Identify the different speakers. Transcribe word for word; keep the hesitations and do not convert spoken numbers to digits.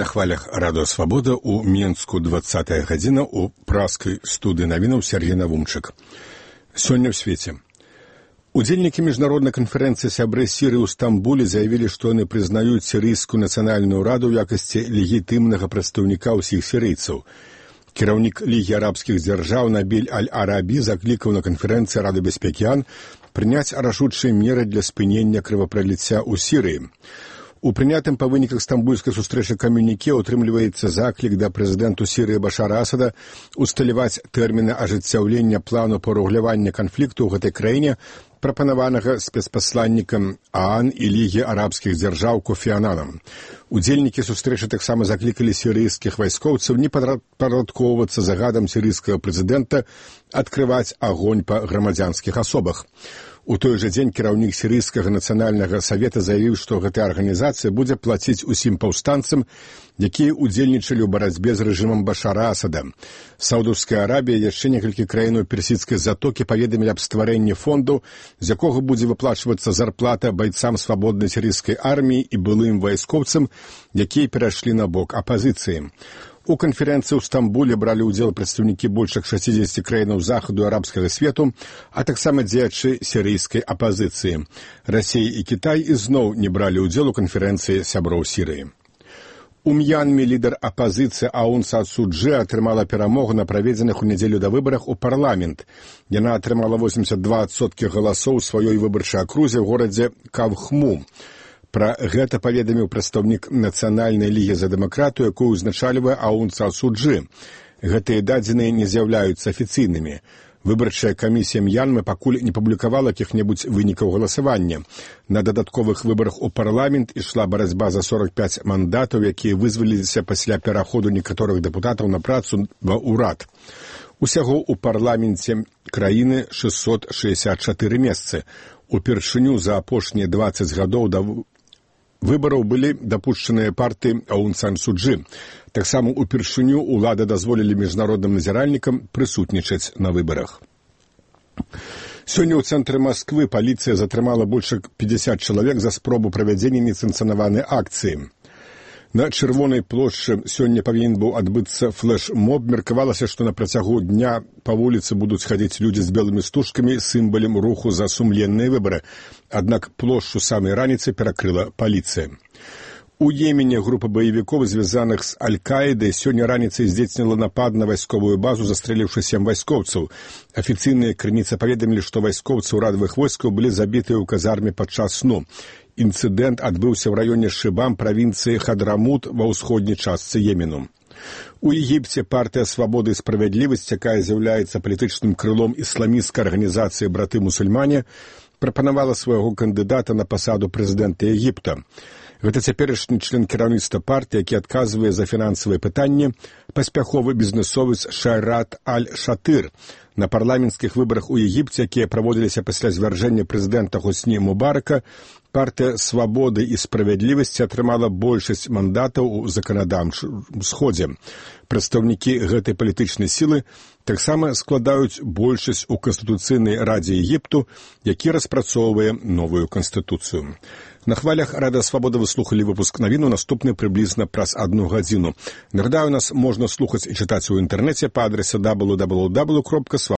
Speaker 1: На хвалях радыё «Свабода» у Менску двадцатая гадзіна у праскай студыі навінаў Сергей Навумчык. Сёння ў свеце. Удзельнікі міжнароднай канферэнцыі сябры Сірыі ў Стамбуле заявілі, што яны прызнаюць сірыйскую нацыянальную раду ў якасці легітымнага прадстаўніка ўсіх сірыйцаў. Кіраўнік Лігі арабскіх дзяржаў Набіль Аль-Арабі заклікаў на канферэнцыі Рады бяспекі ООН прыняць рашучыя меры для спынення крывапраліцця ў Сірыі. У прынятым па выніках стамбульскай сустрэчы камюніке ўтрымліваецца заклік да прэзідэнту Сірыі Башара Асада усталяваць тэрміны ажыццяўлення плану па рэгулявання канфлікту ў гэтай краіне, прапанаванага спецпасланнікам ООН і Лігі арабскіх дзяржаў Кофі Ананам. Удзельнікі сустрэчы таксама заклікалі сірыйскіх вайскоўцаў не падпарадкоўвацца загадам сірыйскага прэзідэнта адкрываць агонь па грамадзянскіх асобах. У той жа дзень кіраўнік сірыйскага нацыянальнага савета заявіў, што гэтая арганізацыя будзе плаціць усім паўстанцам, якія ўдзельнічалі ў барацьбе з рэжымам Башара Асада. Саудаўская Арабія і яшчэ некалькі краінаў персідскай затокі паведамілі аб стварэнні фонду, з якога будзе выплачвацца зарплата байцам свабоднай сірыйскай арміі і былым вайскоўцам, якія перайшлі на бок апазіцыі. У канферэнцыі ў Стамбуле бралі ўдзел прадстаўнікі больш як шасцідзесяці краінаў захаду арабскага свету, а таксама дзеячы сірыйскай апазіцыі. Расія і Кітай ізноў не бралі ўдзел у канферэнцыі сяброў Сірыі. У М'янме лідар апазіцыі Аун Сан Су Чжы атрымала перамогу на праведзеных у нядзелю да выбарах у парламент. Яна атрымала восемьдесят два адсоткі галасоў у сваёй выбарчай акрузе ў горадзе Кавхму. Пра гэта паведаміў прадстаўнік Нацыянальнай лігі за дэмакратыю, якую ўзначальвае Аун Сан Су Чжы. Гэтыя дадзеныя не з'яўляюцца афіцыйнымі. Выбарчая камісія М'янмы пакуль не публікавала якіх-небудзь вынікаў галасавання. На дадатковых выбарах у парламент ішла барацьба за сорок пяць мандатаў, якія вызваліліся пасля пераходу некаторых дэпутатаў на працу ва ўрад. Усяго ў парламенце краіны шэсцьсот шэсцьдзесят чатыры месцы. Упершыню за апошнія дваццаць гадоў да выбараў былі дапушчаныя партыі Аун Сан Су Чжы. Таксама упершыню ўлады дазволілі міжнародным назіральнікам прысутнічаць на выбарах. Сёння ў цэнтры Масквы паліцыя затрымала больш як пятьдесят чалавек за спробу правядзення несанкцыянаванай акцыі. На Чырвонай плошчы сёння павінен быў адбыцца флэш-моб. Меркавалася, што на працягу дня па вуліцы будуць хадзіць людзі з белымі стужкамі, сімвалам руху за сумленныя выбары. Аднак плошчу самай раніцы перакрыла паліцыя. У Йемене група баевікоў, звязаных з Аль-Каідай, сёння раніцай здзейсніла напад на вайсковую базу, застрэліўшы сем вайскоўцаў. Афіцыйныя крыніцы паведамілі, што вайскоўцы ўрадавых войскаў былі забітыя ў казарме падчас сну. Інцыдэнт адбыўся ў раёне Шыбам правінцыі Хадрамут ва ўсходняй частцы Йемену. У Егіпце партыя «Свабода і справядлівасць», якая з'яўляецца палітычным крылом ісламісцкай арганізацыі «Браты-мусульмане», прапанавала свайго кандыдата на пасаду прэзідэнта Егіпта. Гэта цяперашні член кіраўніцтва партыі, які адказвае за фінансавыя пытанні, паспяховы бізнэсовец Шайрат Аль-Шатыр. На парламенцкіх выбарах у Егіпце, якія праводзіліся пасля звяржэння прэзідэнта Хусні Мубарака, партыя «Свабоды і справядлівасці» атрымала большасць мандатаў у заканадаўчым сходзе. Прадстаўнікі гэтай палітычнай сілы таксама складаюць большасць у Канстытуцыйнай радзе Егіпту, які распрацоўвае новую канстытуцыю. На хвалях Радыё «Свабода» вы слухалі выпуск навіну, наступны прыблізна праз адну гадзіну. Нагадаю, нас можна слухаць і чытаць у інтэрнэце па адрасе дабл ю дабл ю дабл ю кропка